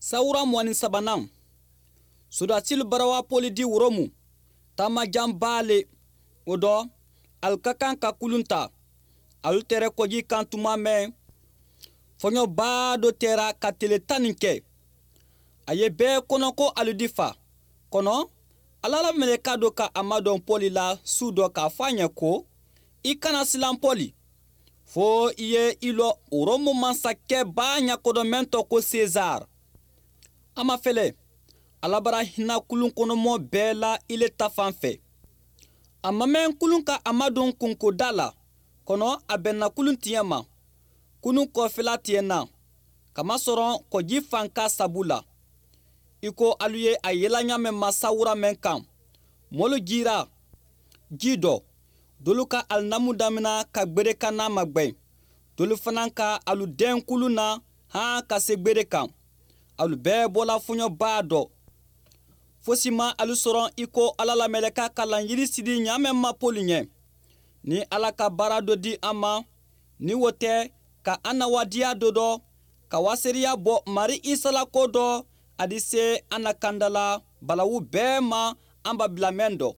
Sawura 23nan, sodasilu bara wa Pɔli di Woromu, taama janba le. O dɔ, alu ka kan ka kulun ta. Alu tɛrɛ kɔji kan tuma mɛn, fɔɲɔba dɔ tɛra ka tele tan nin kɛ. A ye bɛɛ kɔnɔ ko alu di fa. Kɔnɔ, Ala la mɛlɛka dɔ ka a madɔn Pɔli la su dɔ k'a fɔ a ɲɛ ko, i kana silan Pɔli, fo i ye i lɔ Rɔmu masakɛba ɲakɔdɔ mɛn tɔ ko Sezar. A ma fɛlɛ, Ala bara hinɛ kulun kɔnɔmɔ bɛɛ la ile ta fan fɛ. A ma mɛn kulun ka a madon kunkoda la, kɔnɔ a bɛnna kulun tiɲɛ ma. Kulun kɔfɛla tiɲɛna, kamasɔrɔ kɔji fanka sabu la. I ko alu ye a yela ɲa mɛn ma sawura mɛn kan, mɔlu jira ji dɔ, dolu ka alinamu damina ka gbere kan n'a magwɛn, dolu fana ka alu dɛn kulun na han ka se gbere kan. Alu bɛɛ bɔla fɔɲɔba dɔ. Fosi ma alu sɔrɔ i ko Ala la mɛlɛka ka lanyiri sidi ɲa mɛn ma Pɔli ɲɛ. Ni Ala ka baara dɔ di an ma, ni wo tɛ ka an na wadiya dɔ dɔ, ka waseriya bɔ Mari Isa la ko dɔ, a di se an na kanda la balawu bɛɛ ma an ba bila mɛn dɔ.